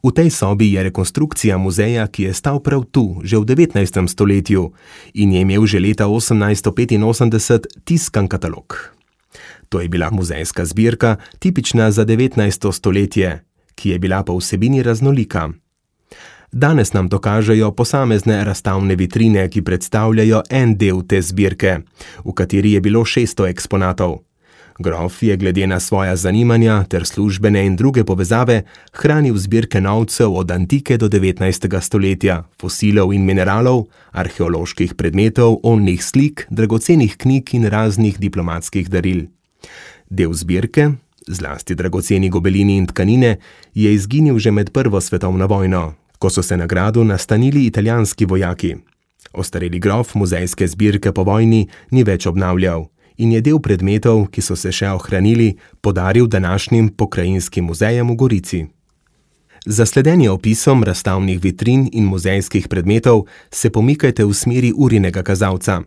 V tej sobi je rekonstrukcija muzeja, ki je stal prav tu, že v 19. stoletju in je imel že leta 1885 tiskan katalog. To je bila muzejska zbirka, tipična za 19. stoletje, ki je bila po vsebini raznolika. Danes nam to kažejo posamezne razstavne vitrine, ki predstavljajo en del te zbirke, v kateri je bilo 600 eksponatov. Grof je glede na svoja zanimanja ter službene in druge povezave hranil zbirke novcev od antike do 19. stoletja, fosilov in mineralov, arheoloških predmetov, oljnih slik, dragocenih knjig in raznih diplomatskih daril. Del zbirke, zlasti dragoceni gobelini in tkanine, je izginil že med Prvo svetovno vojno, ko so se na gradu nastanili italijanski vojaki. Ostareli grof muzejske zbirke po vojni ni več obnavljal in je del predmetov, ki so se še ohranili, podaril današnjim pokrajinskim muzejem v Gorici. Za sledenje opisom razstavnih vitrin in muzejskih predmetov se pomikajte v smeri urinega kazalca.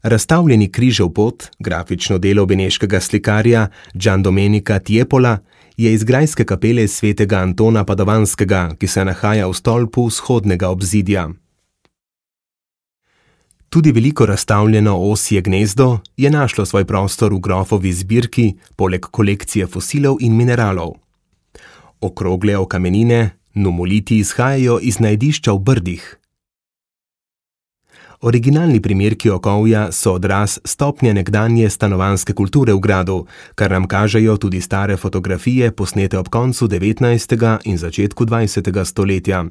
Razstavljeni križev pot, grafično delo beneškega slikarja Giandomenica Tiepola, je iz grajske kapele svetega Antona Padovanskega, ki se nahaja v stolpu vzhodnega obzidja. Tudi veliko razstavljeno osje gnezdo je našlo svoj prostor v grofovi zbirki, poleg kolekcije fosilov in mineralov. Okrogle okamenine, numoliti izhajajo iz najdišča v Brdih. Originalni primerki okovja so odraz stopnje nekdanje stanovanjske kulture v gradu, kar nam kažejo tudi stare fotografije, posnete ob koncu 19. in začetku 20. stoletja.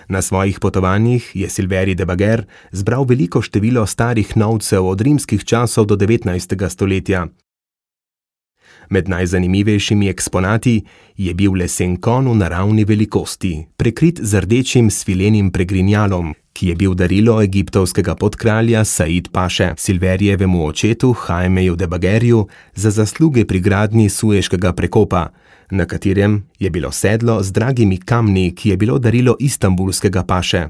Na svojih potovanjih je Silveri de Bager zbral veliko število starih novcev od rimskih časov do 19. stoletja. Med najzanimivejšimi eksponati je bil lesen konj v naravni velikosti, prekrit z rdečim svilenim pregrinjalom, ki je bil darilo egiptovskega podkralja Said Paše, Silverijevemu očetu Jaimeju de Bagerju za zasluge pri gradnji Sueškega prekopa, na katerem je bilo sedlo z dragimi kamni, ki je bilo darilo istanbulskega paše.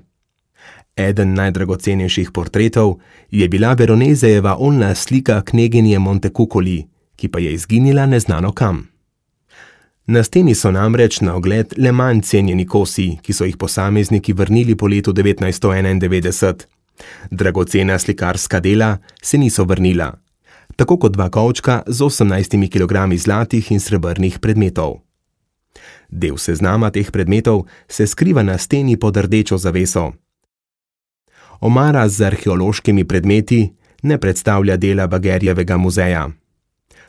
Eden najdragocenejših portretov je bila Veronezejeva oljna slika kneginje Montecuccoli, ki pa je izginila neznano kam. Na steni so namreč na ogled le manj cenjeni kosi, ki so jih posamezniki vrnili po letu 1991. Dragocena slikarska dela se niso vrnila, tako kot 2 kovčka z 18 kg zlatih in srebrnih predmetov. Del seznama teh predmetov se skriva na steni pod rdečo zaveso. Omara z arheološkimi predmeti ne predstavlja dela Bagerjevega muzeja.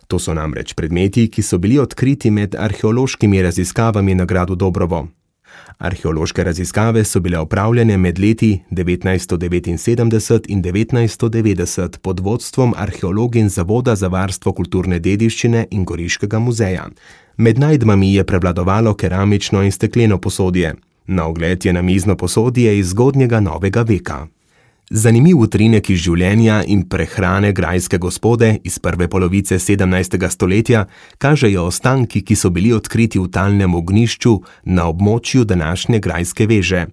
To so namreč predmeti, ki so bili odkriti med arheološkimi raziskavami na gradu Dobrovo. Arheološke raziskave so bile opravljene med leti 1979 in 1990 pod vodstvom arheologin Zavoda za varstvo kulturne dediščine in Goriškega muzeja. Med najdbami je prevladovalo keramično in stekleno posodje. Na ogled je namizno posodje iz zgodnjega novega veka. Zanimiv utrinek iz življenja in prehrane grajske gospode iz prve polovice 17. stoletja kažejo ostanki, ki so bili odkriti v talnem ognjišču na območju današnje grajske veže.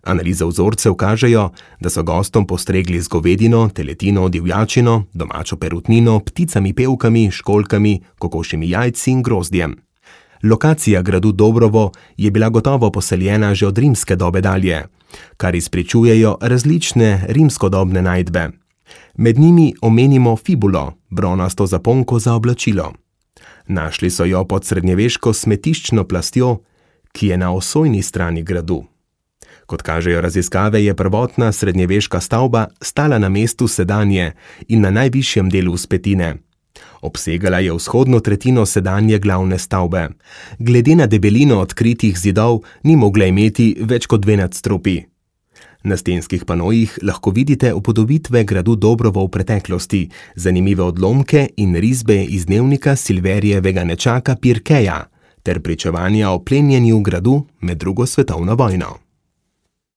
Analiza vzorcev kažejo, da so gostom postregli z govedino, teletino, divjačino, domačo perutnino, pticami pevkami, školjkami, kokošjimi jajci in grozdjem. Lokacija gradu Dobrovo je bila gotovo poseljena že od rimske dobe dalje, kar izpričujejo različne rimskodobne najdbe. Med njimi omenimo fibulo, bronasto zaponko za oblačilo. Našli so jo pod srednjeveško smetiščno plastjo, ki je na osojni strani gradu. Kot kažejo raziskave, je prvotna srednjeveška stavba stala na mestu sedanje in na najvišjem delu vzpetine. Obsegala je vzhodno tretjino sedanje glavne stavbe. Glede na debelino odkritih zidov ni mogla imeti več kot 2 nadstropji. Na stenskih panojih lahko vidite upodobitve gradu Dobrovo v preteklosti, zanimive odlomke in risbe iz dnevnika Silverijevega nečaka Pirkeja ter pričevanja o plenjenju gradu med 2. svetovno vojno.